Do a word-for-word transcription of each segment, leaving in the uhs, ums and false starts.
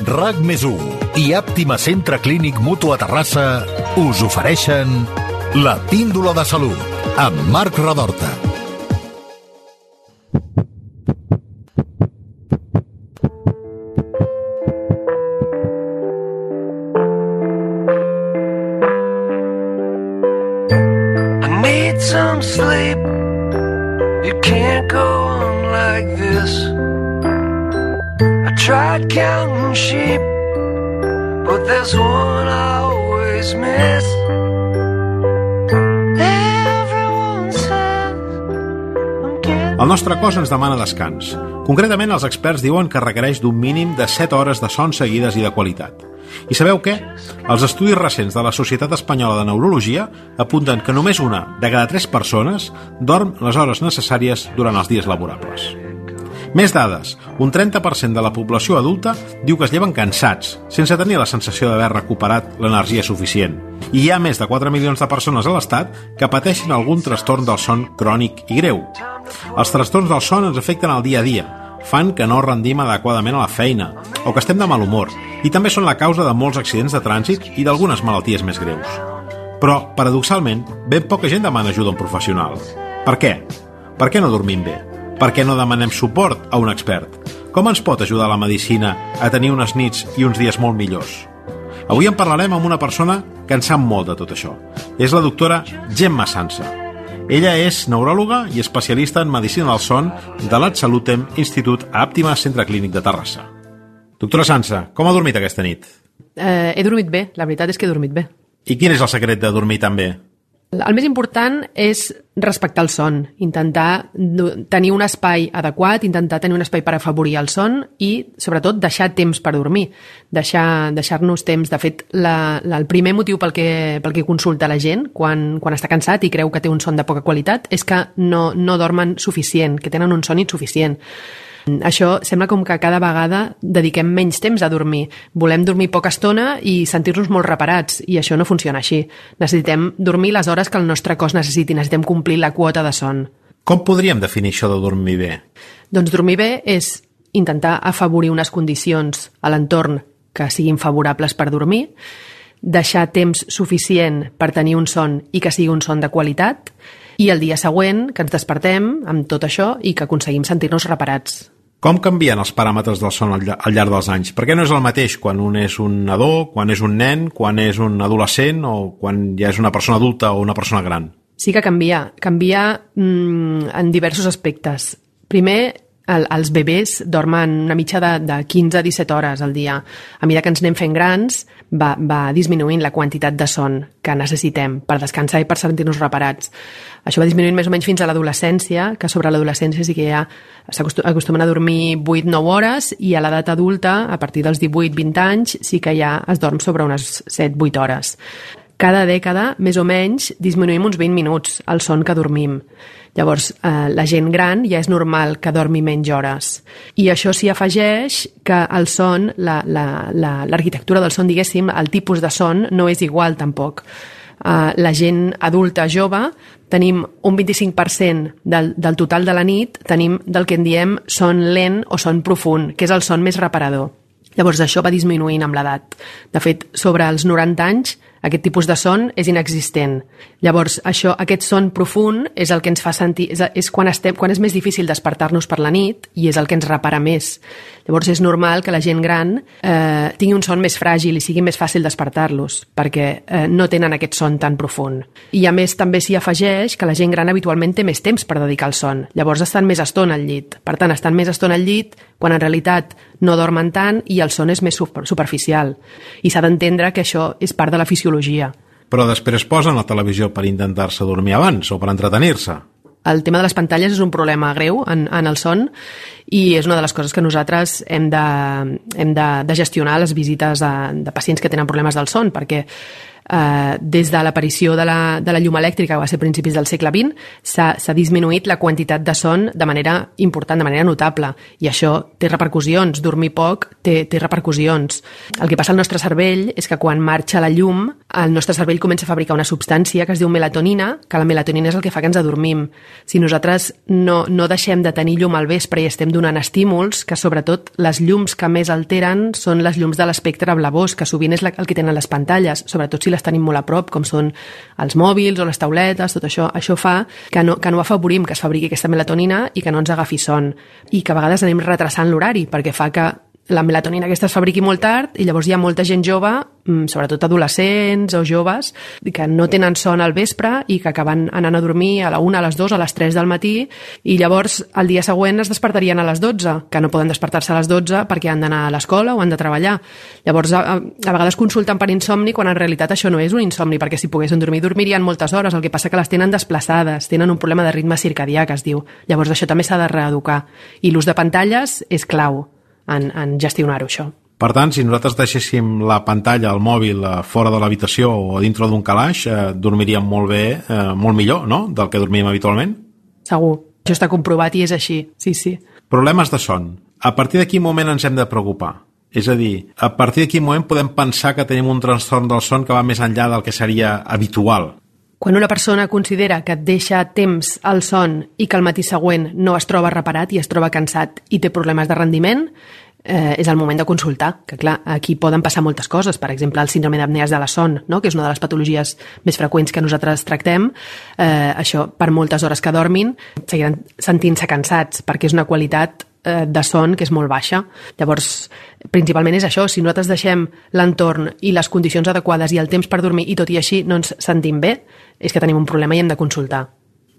RAC més u i Àptima Centre Clínic Mutu a Terrassa us ofereixen La Píndola de Salut amb Marc Redorta. I need some sleep. You can't go on like this. I tried counting sheep, but there's one I always miss. Everyone says I'm getting... El nostre cos ens demana descans. Concretament, els experts diuen que requereix d'un mínim de set hores de son seguides i de qualitat. I sabeu què? Els estudis recents de la Societat Espanyola de Neurologia apunten que només una de cada tres persones dorm les hores necessàries durant els dies laborables. Més dades. Un trenta per cent de la població adulta diu que es lleven cansats, sense tenir la sensació d'haver recuperat l'energia suficient. I hi ha més de quatre milions de persones a l'Estat que pateixen algun trastorn del son crònic i greu. Els trastorns del son ens afecten al dia a dia, fan que no rendim adequadament a la feina o que estem de mal humor, i també són la causa de molts accidents de trànsit i d'algunes malalties més greus. Però, paradoxalment, ben poca gent demana ajuda a un professional. Per què? Per què no dormim bé? Per què no demanem suport a un expert? Com ens pot ajudar la medicina a tenir unes nits i uns dies molt millors? Avui en parlarem amb una persona que en sap molt de tot això. És la doctora Gemma Sansa. Ella és neuròloga i especialista en medicina del son de l'Atsalutem Institut a Àptima Centre Clínic de Terrassa. Doctora Sansa, com ha dormit aquesta nit? Eh, he dormit bé, la veritat és que he dormit bé. I quin és el secret de dormir tan bé? El més important és respectar el son, intentar tenir un espai adequat, intentar tenir un espai per afavorir el son i, sobretot, deixar temps per dormir, deixar, deixar-nos temps. De fet, la, la, el primer motiu pel que, pel que consulta la gent quan, quan està cansat i creu que té un son de poca qualitat és que no, no dormen suficient, que tenen un son insuficient. Això sembla com que cada vegada dediquem menys temps a dormir. Volem dormir poca estona i sentir-nos molt reparats, i això no funciona així. Necessitem dormir les hores que el nostre cos necessiti, necessitem complir la quota de son. Com podríem definir això de dormir bé? Doncs dormir bé és intentar afavorir unes condicions a l'entorn que siguin favorables per dormir, deixar temps suficient per tenir un son i que sigui un son de qualitat, i el dia següent que ens despertem amb tot això i que aconseguim sentir-nos reparats. Com canvien els paràmetres del son al llarg dels anys? Per què no és el mateix quan un és un nadó, quan és un nen, quan és un adolescent o quan ja és una persona adulta o una persona gran? Sí que canvia. Canvia mmm, en diversos aspectes. Primer, el, els bebès dormen una mitja de, de quinze a disset hores al dia. A mesura que ens anem fent grans, va, va disminuint la quantitat de son que necessitem per descansar i per sentir-nos reparats. Això va disminuint més o menys fins a l'adolescència, que sobre l'adolescència sí que ja s'acostumen a dormir vuit a nou hores, i a l'edat adulta, a partir dels divuit a vint anys, sí que ja es dorm sobre unes set a vuit hores. Cada dècada, més o menys, disminuïm uns vint minuts el son que dormim. Llavors, eh, la gent gran ja és normal que dormi menys hores. I això s'hi afegeix que el son, la, la, la, l'arquitectura del son, diguéssim, el tipus de son no és igual tampoc. Uh, la gent adulta jove tenim un vint-i-cinc per cent del, del total de la nit, tenim del que en diem son lent o son profund, que és el son més reparador. Llavors això va disminuint amb l'edat. De fet, sobre els noranta anys, aquest tipus de son és inexistent. Llavors, això, aquest son profund és el que ens fa sentir... És, és quan, estem, quan és més difícil despertar-nos per la nit i és el que ens repara més. Llavors, és normal que la gent gran eh, tingui un son més fràgil i sigui més fàcil despertar-los, perquè eh, no tenen aquest son tan profund. I, a més, també s'hi afegeix que la gent gran habitualment té més temps per dedicar al son. Llavors, estan més estona al llit. Per tant, estan més estona al llit quan en realitat no dormen tant i el son és més superficial. I s'ha d'entendre que això és part de la fisiologia. Però després posen la televisió per intentar-se dormir abans o per entretenir-se. El tema de les pantalles és un problema greu en, en el son i és una de les coses que nosaltres hem de, hem de, de gestionar a les visites de, de pacients que tenen problemes del son, perquè eh, des de l'aparició de, la, de la llum elèctrica, que va ser a principis del segle vint, s'ha disminuït la quantitat de son de manera important, de manera notable, i això té repercussions. Dormir poc té, té repercussions. El que passa al nostre cervell és que quan marxa la llum, el nostre cervell comença a fabricar una substància que es diu melatonina, que la melatonina és el que fa que ens adormim. Si nosaltres no, no deixem de tenir llum al vespre i estem donant estímuls, que sobretot les llums que més alteren són les llums de l'espectre blavós, que sovint és el que tenen les pantalles, sobretot si les tenim molt a prop, com són els mòbils o les tauletes, tot això, això fa que no, que no afavorim que es fabriqui aquesta melatonina i que no ens agafi son. I que a vegades anem retrasant l'horari, perquè fa que la melatonina aquesta es fabriqui molt tard i llavors hi ha molta gent jove, sobretot adolescents o joves, que no tenen son al vespre i que acaben anant a dormir a la una, a les dues, a les tres del matí, i llavors el dia següent es despertarien a les dotze, que no poden despertar-se a les dotze perquè han d'anar a l'escola o han de treballar. Llavors a, a vegades consulten per insomni quan en realitat això no és un insomni, perquè si poguessin dormir, dormirien moltes hores, el que passa que les tenen desplaçades, tenen un problema de ritme circadià, que es diu. Llavors això també s'ha de reeducar. I l'ús de pantalles és clau en, en gestionar-ho, això. Per tant, si nosaltres deixéssim la pantalla, el mòbil, fora de l'habitació o dintre d'un calaix, eh, dormiríem molt bé, eh, molt millor, no?, del que dormim habitualment? Segur. Això està comprovat i és així, sí, sí. Problemes de son. A partir de quin moment ens hem de preocupar? És a dir, a partir de quin moment podem pensar que tenim un trastorn del son que va més enllà del que seria habitual? Quan una persona considera que et deixa temps al son i que al matí següent no es troba reparat i es troba cansat i té problemes de rendiment, eh, és el moment de consultar, que clar, aquí poden passar moltes coses, per exemple el síndrome d'apnees de la son, no?, que és una de les patologies més freqüents que nosaltres tractem. Eh, això, per moltes hores que dormin, seguiran sentint-se cansats, perquè és una qualitat eh, de son que és molt baixa. Llavors, principalment és això, si nosaltres deixem l'entorn i les condicions adequades i el temps per dormir i tot i així no ens sentim bé, és que tenim un problema i hem de consultar.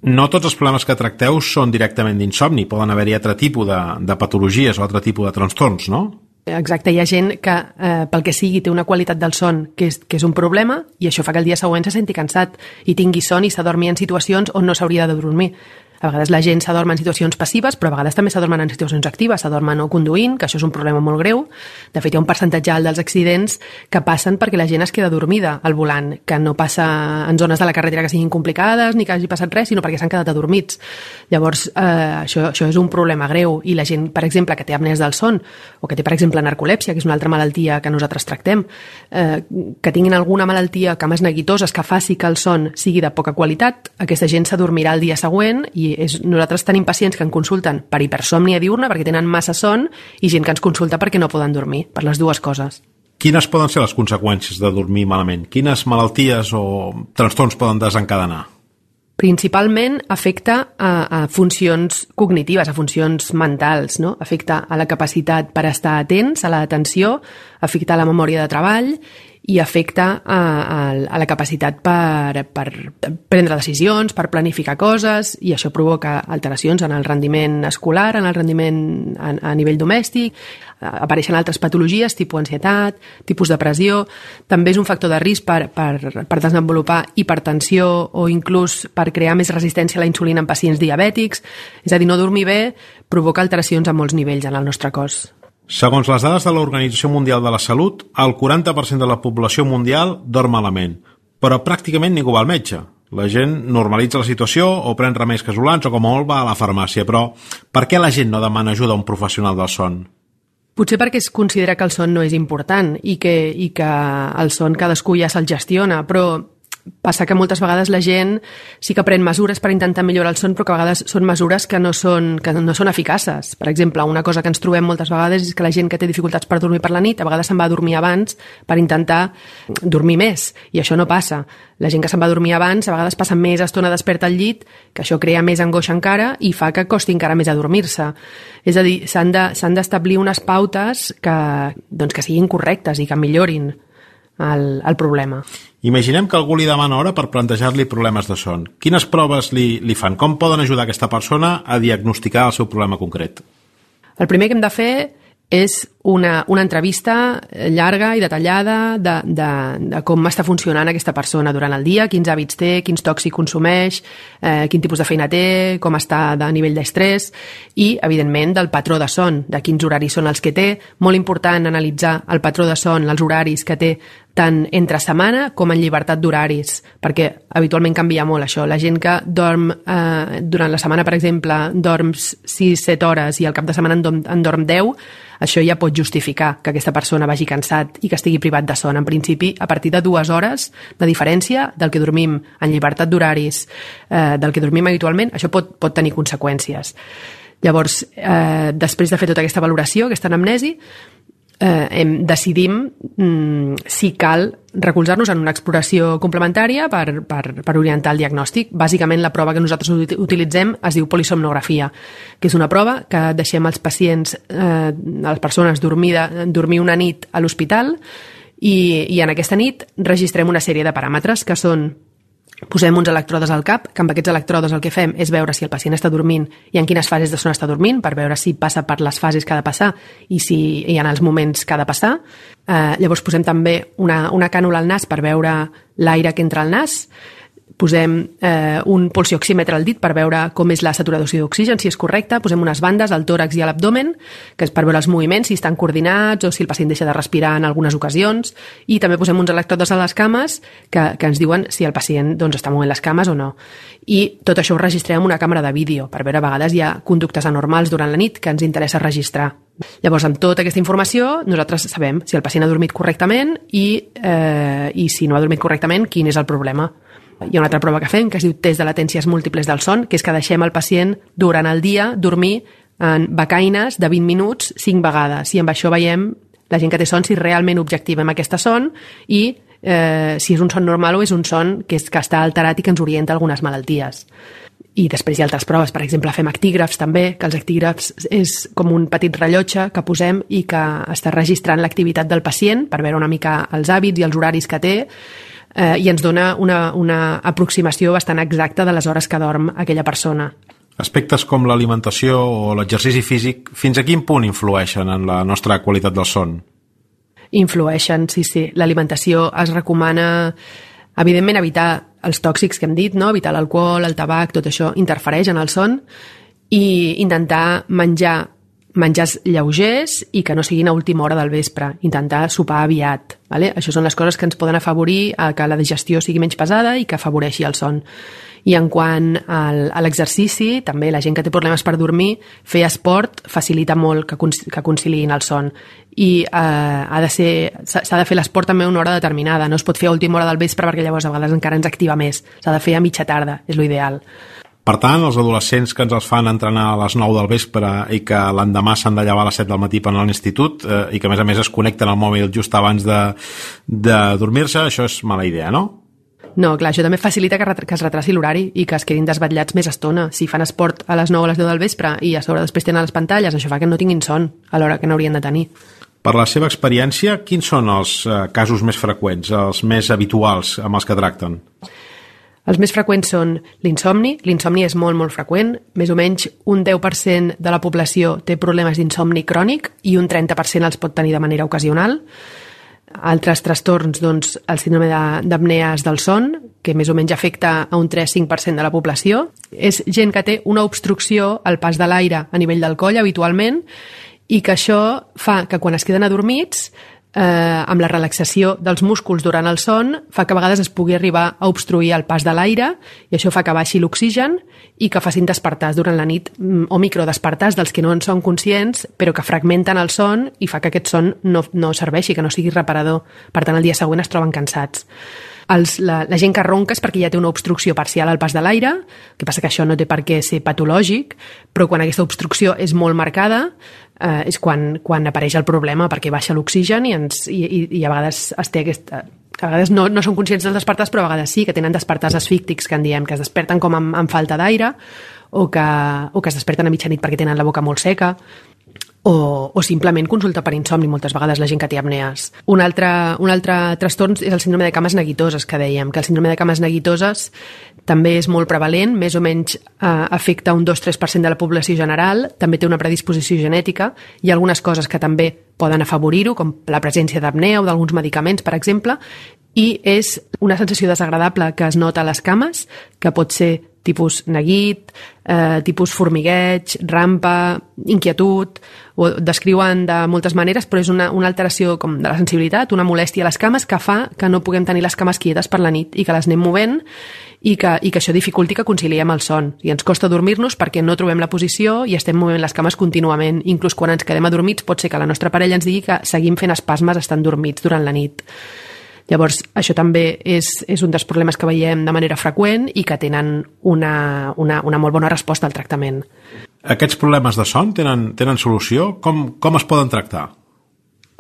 No tots els problemes que tracteu són directament d'insomni, poden haver-hi altre tipus de, de patologies o altre tipus de trastorns, no? Exacte, hi ha gent que eh, pel que sigui té una qualitat del son que és, que és un problema i això fa que el dia següent se senti cansat i tingui son i s'adormi en situacions on no s'hauria de dormir. A vegades la gent s'adorm en situacions passives, però a vegades també s'adormen en situacions actives, s'adormen no conduint, que això és un problema molt greu. De fet, hi ha un percentatge alt dels accidents que passen perquè la gent es queda dormida al volant, que no passa en zones de la carretera que siguin complicades ni que hagi passat res, sinó perquè s'han quedat adormits. Llavors, eh, això, això és un problema greu. I la gent, per exemple, que té apnees del son o que té, per exemple, narcolèpsia, que és una altra malaltia que nosaltres tractem, eh, que tinguin alguna malaltia, cames neguitoses, que faci que el son sigui de poca qualitat, aquesta gent s'adormirà el dia següent i és, nosaltres tenim pacients que ens consulten per hipersòmnia diurna perquè tenen massa son i gent que ens consulta perquè no poden dormir, per les dues coses. Quines poden ser les conseqüències de dormir malament? Quines malalties o trastorns poden desencadenar? Principalment afecta a, a funcions cognitives, a funcions mentals, no? Afecta a la capacitat per estar atents, a l'atenció, afecta a la memòria de treball i afecta a, a, a la capacitat per, per prendre decisions, per planificar coses, i això provoca alteracions en el rendiment escolar, en el rendiment a, a nivell domèstic. Apareixen altres patologies, tipus ansietat, tipus depressió. També és un factor de risc per, per, per desenvolupar hipertensió o inclús per crear més resistència a la insulina en pacients diabètics. És a dir, no dormir bé provoca alteracions a molts nivells en el nostre cos. Segons les dades de l'Organització Mundial de la Salut, el quaranta per cent de la població mundial dorm malament, però pràcticament ningú va al metge. La gent normalitza la situació o pren remeis casolans o com a molt va a la farmàcia, però per què la gent no demana ajuda a un professional del son? Potser perquè es considera que el son no és important i que, i que el son cadascú ja se'l gestiona, però passa que moltes vegades la gent sí que pren mesures per intentar millorar el son, però que a vegades són mesures que no són, que no són eficaces. Per exemple, una cosa que ens trobem moltes vegades és que la gent que té dificultats per dormir per la nit a vegades se'n va a dormir abans per intentar dormir més, i això no passa. La gent que se'n va a dormir abans a vegades passa més estona desperta al llit, que això crea més angoixa encara i fa que costi encara més adormir-se. És a dir, s'han de, s'han d'establir unes pautes que, doncs, que siguin correctes i que millorin el, el problema. Imaginem que algú li demana hora per plantejar-li problemes de son. Quines proves li, li fan? Com poden ajudar aquesta persona a diagnosticar el seu problema concret? El primer que hem de fer és una, una entrevista llarga i detallada de, de, de com està funcionant aquesta persona durant el dia, quins hàbits té, quins tòxics consumeix, eh, quin tipus de feina té, com està de nivell d'estrès i, evidentment, del patró de son, de quins horaris són els que té. Molt important analitzar el patró de son, els horaris que té tant entre setmana com en llibertat d'horaris, perquè habitualment canvia molt això. La gent que dorm eh, durant la setmana, per exemple, dorm sis set hores i al cap de setmana en dorm, en dorm deu, això ja pot justificar que aquesta persona vagi cansat i que estigui privat de son. En principi, a partir de dues hores de diferència del que dormim en llibertat d'horaris, eh, del que dormim habitualment, això pot, pot tenir conseqüències. Llavors, eh, després de fer tota aquesta valoració, aquesta anamnesi, eh, hem, decidim mm, si cal recolzar-nos en una exploració complementària per, per, per orientar el diagnòstic. Bàsicament, la prova que nosaltres utilitzem es diu polisomnografia, que és una prova que deixem als pacients, eh, a les persones, dormir, dormir una nit a l'hospital i, i en aquesta nit registrem una sèrie de paràmetres que són: posem uns electrodes al cap, que amb aquests electrodes el que fem és veure si el pacient està dormint i en quines fases de son està dormint, per veure si passa per les fases que ha de passar i si hi ha els moments que ha de passar. Eh, llavors posem també una, una cànula al nas per veure l'aire que entra al nas. Posem eh, un pulsioxímetre al dit per veure com és la saturació d'oxigen, si és correcta. Posem unes bandes al tòrax i a l'abdomen, que és per veure els moviments, si estan coordinats o si el pacient deixa de respirar en algunes ocasions. I també posem uns electrodes a les cames que, que ens diuen si el pacient doncs, està movent les cames o no. I tot això ho registrem amb una càmera de vídeo, per veure a vegades hi ha conductes anormals durant la nit que ens interessa registrar. Llavors, amb tota aquesta informació, nosaltres sabem si el pacient ha dormit correctament i, eh, i si no ha dormit correctament, quin és el problema. Hi ha una altra prova que fem, que es diu test de latències múltiples del son, que és que deixem el pacient durant el dia dormir en becaines de vint minuts cinc vegades. I amb això veiem, la gent que té son, si realment objectivem aquesta son i eh, si és un son normal o és un son que, és, que està alterat i que ens orienta a algunes malalties. I després hi ha altres proves, per exemple, fem actígrafs també, que els actígrafs és com un petit rellotge que posem i que està registrant l'activitat del pacient per veure una mica els hàbits i els horaris que té, eh, i ens dona una, una aproximació bastant exacta de les hores que dorm aquella persona. Aspectes com l'alimentació o l'exercici físic, fins a quin punt influeixen en la nostra qualitat del son? Influeixen, sí, sí. L'alimentació es recomana, evidentment, evitar els tòxics que hem dit, no? Evitar l'alcohol, el tabac, tot això interfereix en el son, i intentar menjar menjars lleugers i que no siguin a última hora del vespre, intentar sopar aviat, vale? Això són les coses que ens poden afavorir a que la digestió sigui menys pesada i que afavoreixi el son. I en quant al, a l'exercici, també la gent que té problemes per dormir, fer esport facilita molt que, que conciliïn el son. I eh, ha de ser, s'ha de fer l'esport també a una hora determinada, no es pot fer a última hora del vespre perquè llavors a vegades encara ens activa més. S'ha de fer a mitja tarda, és l'ideal. Per tant, els adolescents que ens els fan entrenar a les nou del vespre i que l'endemà s'han de llevar a les set del matí per anar a l'institut eh, i que a més a més es connecten al mòbil just abans de, de dormir-se, això és mala idea, no? No, clar, això també facilita que, que es retraci l'horari i que es quedin desvetllats més estona. Si fan esport a les nou o a les deu del vespre i a sobre després tenen les pantalles, això fa que no tinguin son a l'hora que n'haurien de tenir. Per la seva experiència, quins són els eh, casos més freqüents, els més habituals amb els que tracten? Els més freqüents són l'insomni. L'insomni és molt, molt freqüent. Més o menys un deu per cent de la població té problemes d'insomni crònic i un trenta per cent els pot tenir de manera ocasional. Altres trastorns, doncs, el síndrome d'apnees del son, que més o menys afecta a un tres a cinc per cent de la població. És gent que té una obstrucció al pas de l'aire a nivell del coll, habitualment, i que això fa que quan es queden adormits, eh, amb la relaxació dels músculs durant el son, fa que a vegades es pugui arribar a obstruir el pas de l'aire i això fa que baixi l'oxigen i que facin despertars durant la nit o microdespertars dels que no en són conscients però que fragmenten el son i fa que aquest son no, no serveixi, que no sigui reparador. Per tant, el dia següent es troben cansats. Els, la, la gent que ronca és perquè ja té una obstrucció parcial al pas de l'aire, que passa que això no té per què ser patològic, però quan aquesta obstrucció és molt marcada eh, és quan, quan apareix el problema, perquè baixa l'oxigen i, ens, i, i, i a vegades es té aquesta... A vegades no, no són conscients dels despertars, però a vegades sí, que tenen despertars asfíctics, que en diem, que es desperten com amb, amb falta d'aire o, que, o que es desperten a mitjanit perquè tenen la boca molt seca. o, o simplement consulta per insomni, moltes vegades la gent que té apnees. Un altre, un altre trastorn és el síndrome de cames neguitoses, que dèiem, que el síndrome de cames neguitoses també és molt prevalent, més o menys eh, afecta un dos a tres per cent de la població general, també té una predisposició genètica, hi ha algunes coses que també poden afavorir-ho, com la presència d'apnea o d'alguns medicaments, per exemple, i és una sensació desagradable que es nota a les cames, que pot ser tipus neguit, eh, tipus formigueig, rampa, inquietud, ho descriuen de moltes maneres, però és una, una alteració com de la sensibilitat, una molèstia a les cames que fa que no puguem tenir les cames quietes per la nit i que les anem movent i que, i que això dificulti que conciliem el son. I ens costa dormir-nos perquè no trobem la posició i estem movent les cames contínuament. Inclús quan ens quedem adormits pot ser que la nostra parella ens digui que seguim fent espasmes estant dormits durant la nit. Llavors, això també és, és un dels problemes que veiem de manera freqüent i que tenen una, una, una molt bona resposta al tractament. Aquests problemes de son tenen, tenen solució? Com, com es poden tractar?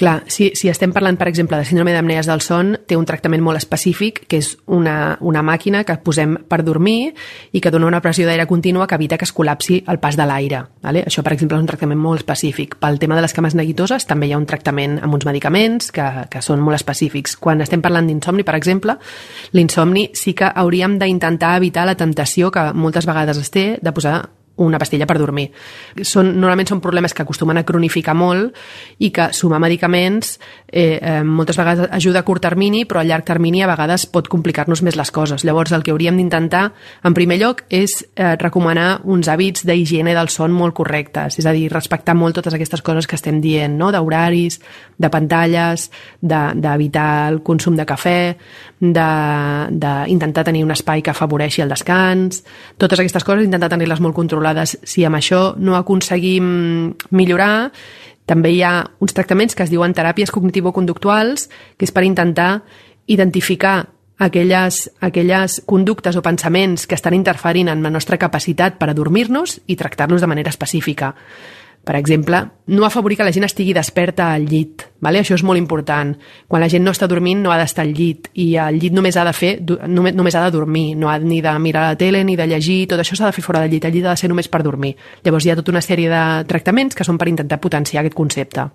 Clar, si, si estem parlant, per exemple, de síndrome d'apnees del son, té un tractament molt específic, que és una, una màquina que posem per dormir i que dona una pressió d'aire contínua que evita que es col·lapsi el pas de l'aire. Vale? Això, per exemple, és un tractament molt específic. Pel tema de les cames neguitoses també hi ha un tractament amb uns medicaments que, que són molt específics. Quan estem parlant d'insomni, per exemple, l'insomni sí que hauríem d'intentar evitar la temptació que moltes vegades es té de posar una pastilla per dormir. Són, normalment són problemes que acostumen a cronificar molt i que sumar medicaments eh, eh, moltes vegades ajuda a curt termini, però a llarg termini a vegades pot complicar-nos més les coses. Llavors el que hauríem d'intentar, en primer lloc, és eh, recomanar uns hàbits d'higiene del son molt correctes, és a dir, respectar molt totes aquestes coses que estem dient, no? D'horaris, de pantalles, d'evitar de, el consum de cafè, d'intentar tenir un espai que afavoreixi el descans, totes aquestes coses intentar tenir-les molt controlades. Si amb això no aconseguim millorar, també hi ha uns tractaments que es diuen teràpies cognitivo-conductuals, que és per intentar identificar aquelles, aquelles conductes o pensaments que estan interferint en la nostra capacitat per adormir-nos i tractar-los de manera específica. Per exemple, no afavorir que la gent estigui desperta al llit. Vale? Això és molt important. Quan la gent no està dormint no ha d'estar al llit i el llit només ha de fer, només, només ha de dormir, no ha ni de mirar la tele ni de llegir, tot això s'ha de fer fora del llit, el llit ha de ser només per dormir. Llavors hi ha tota una sèrie de tractaments que són per intentar potenciar aquest concepte.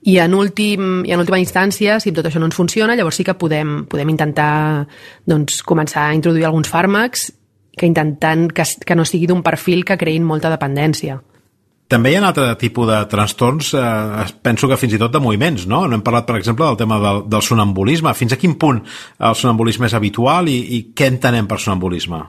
I en, últim, i en última instància, si tot això no ens funciona, llavors sí que podem, podem intentar doncs, començar a introduir alguns fàrmacs que intentant que, que no sigui d'un perfil que creïn molta dependència. També hi ha un altre tipus de trastorns, eh, penso que fins i tot de moviments, no? No hem parlat, per exemple, del tema del, del sonambulisme. Fins a quin punt el sonambulisme és habitual i, i què entenem per sonambulisme?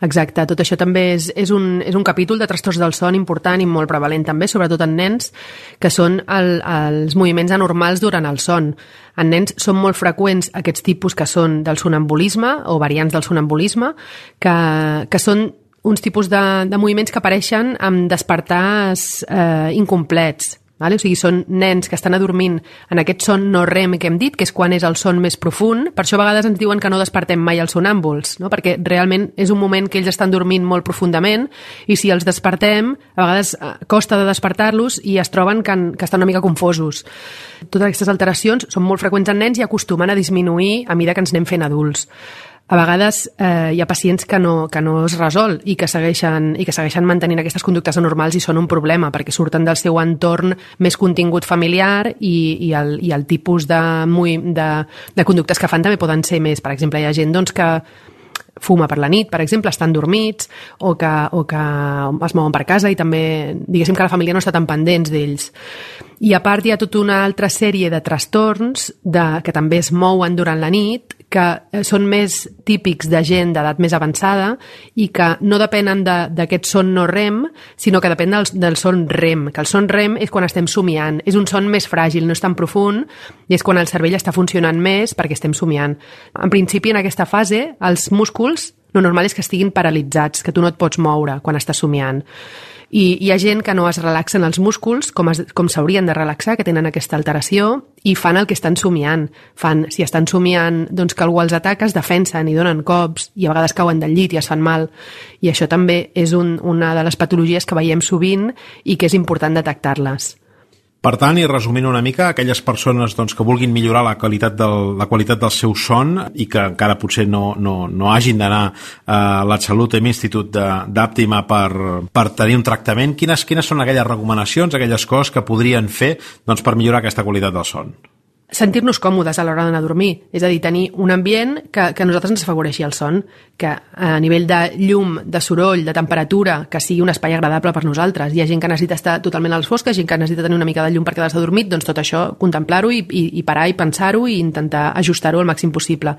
Exacte, tot això també és, és, un, és un capítol de trastorns del son important i molt prevalent també, sobretot en nens, que són el, els moviments anormals durant el son. En nens són molt freqüents aquests tipus que són del sonambulisme o variants del sonambulisme, que, que són uns tipus de, de moviments que apareixen amb despertars eh, incomplets. Vale? O sigui, són nens que estan adormint en aquest son no rem que hem dit, que és quan és el son més profund. Per això a vegades ens diuen que no despertem mai els sonàmbuls, no? Perquè realment és un moment que ells estan dormint molt profundament i si els despertem, a vegades costa de despertar-los i es troben que, que estan una mica confosos. Totes aquestes alteracions són molt freqüents en nens i acostumen a disminuir a mesura que ens anem fent adults. A vegades eh, hi ha pacients que no, que no es resol i que, segueixen, i que segueixen mantenint aquestes conductes anormals i són un problema perquè surten del seu entorn més contingut familiar i, i, el, i el tipus de, de, de conductes que fan també poden ser més. Per exemple, hi ha gent doncs, que fuma per la nit, per exemple, estan dormits o que, o que es mouen per casa i també, diguéssim que la família no està tan pendents d'ells. I a part hi ha tota una altra sèrie de trastorns de, que també es mouen durant la nit, que són més típics de gent d'edat més avançada i que no depenen d'aquest de, son no rem, sinó que depèn del, del son rem, que el son rem és quan estem somiant. És un son més fràgil, no és tan profund, i és quan el cervell està funcionant més perquè estem somiant. En principi, en aquesta fase, els músculs, lo normal és que estiguin paralitzats, que tu no et pots moure quan estàs somiant. I hi ha gent que no es relaxen els músculs com, es, com s'haurien de relaxar, que tenen aquesta alteració, i fan el que estan somiant. Fan, si estan somiant doncs, que algú els ataca, es defensen i donen cops, i a vegades cauen del llit i es fan mal. I això també és un, una de les patologies que veiem sovint i que és important detectar-les. Per tant, i resumint una mica, aquelles persones doncs, que vulguin millorar la qualitat del, la qualitat del seu son i que encara potser no, no, no hagin d'anar a l'Atsalut Institut d'Àptima per, per tenir un tractament, quines, quines són aquelles recomanacions, aquelles coses que podrien fer doncs, per millorar aquesta qualitat del son? Sentir-nos còmodes a l'hora d'anar a dormir, és a dir, tenir un ambient que, que a nosaltres ens afavoreixi el son, que a nivell de llum, de soroll, de temperatura, que sigui un espai agradable per nosaltres. Hi ha gent que necessita estar totalment a les fosques, gent que necessita tenir una mica de llum per quedar-se dormit, doncs tot això, contemplar-ho i, i, i parar i pensar-ho i intentar ajustar-ho al màxim possible.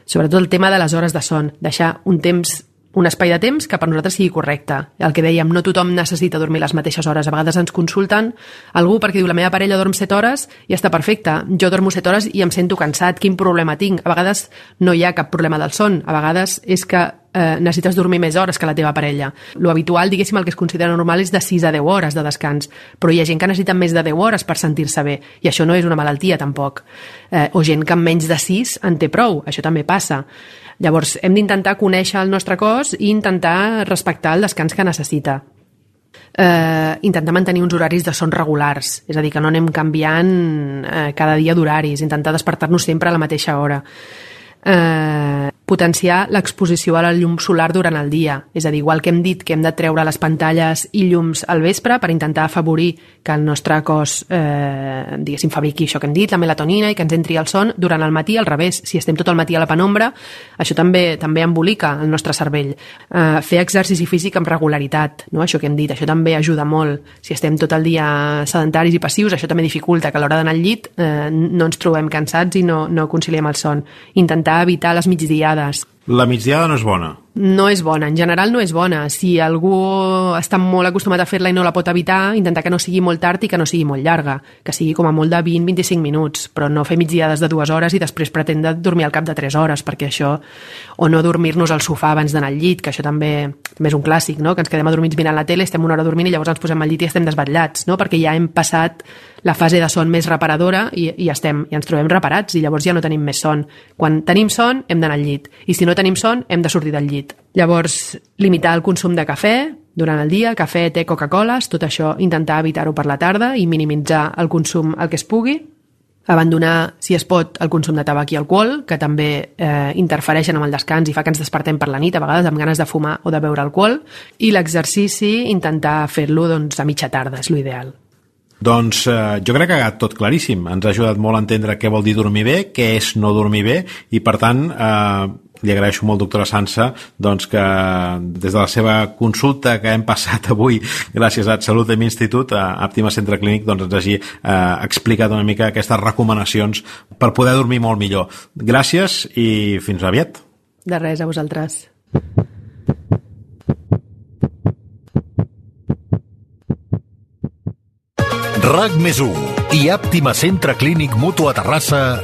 Sobretot el tema de les hores de son, deixar un temps un espai de temps que per nosaltres sigui correcte. El que dèiem, no tothom necessita dormir les mateixes hores. A vegades ens consulten algú perquè diu la meva parella dorm set hores i està perfecte. Jo dormo set hores i em sento cansat. Quin problema tinc? A vegades no hi ha cap problema del son. A vegades és que eh, necessites dormir més hores que la teva parella. Lo habitual, diguéssim, el que es considera normal és de sis a deu hores de descans. Però hi ha gent que necessita més de deu hores per sentir-se bé. I això no és una malaltia, tampoc. Eh, o gent que amb menys de sis en té prou. Això també passa. Llavors, hem d'intentar conèixer el nostre cos i intentar respectar el descans que necessita. Eh, intentar mantenir uns horaris de son regulars, és a dir, que no anem canviant eh, cada dia d'horaris, intentar despertar-nos sempre a la mateixa hora. Eh, potenciar l'exposició a la llum solar durant el dia, és a dir, igual que hem dit que hem de treure les pantalles i llums al vespre per intentar afavorir que el nostre cos eh, diguéssim, fabriqui això que hem dit, la melatonina, i que ens entri el son, durant el matí al revés, si estem tot el matí a la penombra, això també també embolica el nostre cervell. Eh, fer exercici físic amb regularitat, no? Això que hem dit, això també ajuda molt. Si estem tot el dia sedentaris i passius, això també dificulta que a l'hora d'anar al llit eh, no ens trobem cansats i no, no conciliem el son. Intentar evitar les migdiades. La migdiada no és bona? No és bona, en general no és bona. Si algú està molt acostumat a fer-la i no la pot evitar, intentar que no sigui molt tard i que no sigui molt llarga, que sigui com a molt de vint a vint-i-cinc minuts, però no fer migdiades de dues hores i després pretendre dormir al cap de tres hores, perquè això, o no dormir-nos al sofà abans d'anar al llit, que això també, també és un clàssic, no? Que ens quedem adormits mirant la tele, estem una hora dormint i llavors ens posem al llit i estem desvetllats, no? Perquè ja hem passat la fase de son més reparadora i, i, estem, i ens trobem reparats i llavors ja no tenim més son. Quan tenim son hem d'anar al llit i si no tenim son hem de sortir del llit. Llavors, limitar el consum de cafè durant el dia, cafè, te, Coca-Coles, tot això intentar evitar-ho per la tarda i minimitzar el consum el que es pugui. Abandonar, si es pot, el consum de tabac i alcohol, que també eh, interfereixen amb el descans i fa que ens despertem per la nit, a vegades amb ganes de fumar o de beure alcohol. I l'exercici, intentar fer-lo doncs, a mitja tarda, és l'ideal. Doncs eh, jo crec que ha quedat tot claríssim. Ens ha ajudat molt a entendre què vol dir dormir bé, què és no dormir bé, i per tant eh, li agraeixo molt, doctora Sansa, doncs que des de la seva consulta que hem passat avui gràcies a Salut Institut, a Àptima Centre Clínic, doncs ens hagi eh, explicat una mica aquestes recomanacions per poder dormir molt millor. Gràcies i fins aviat. De res, a vosaltres. RAC més u i Àptima Centre Clínic Mutu a Terrassa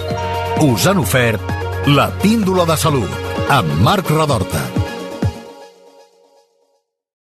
us han ofert la Píndola de Salut amb Marc Radorta.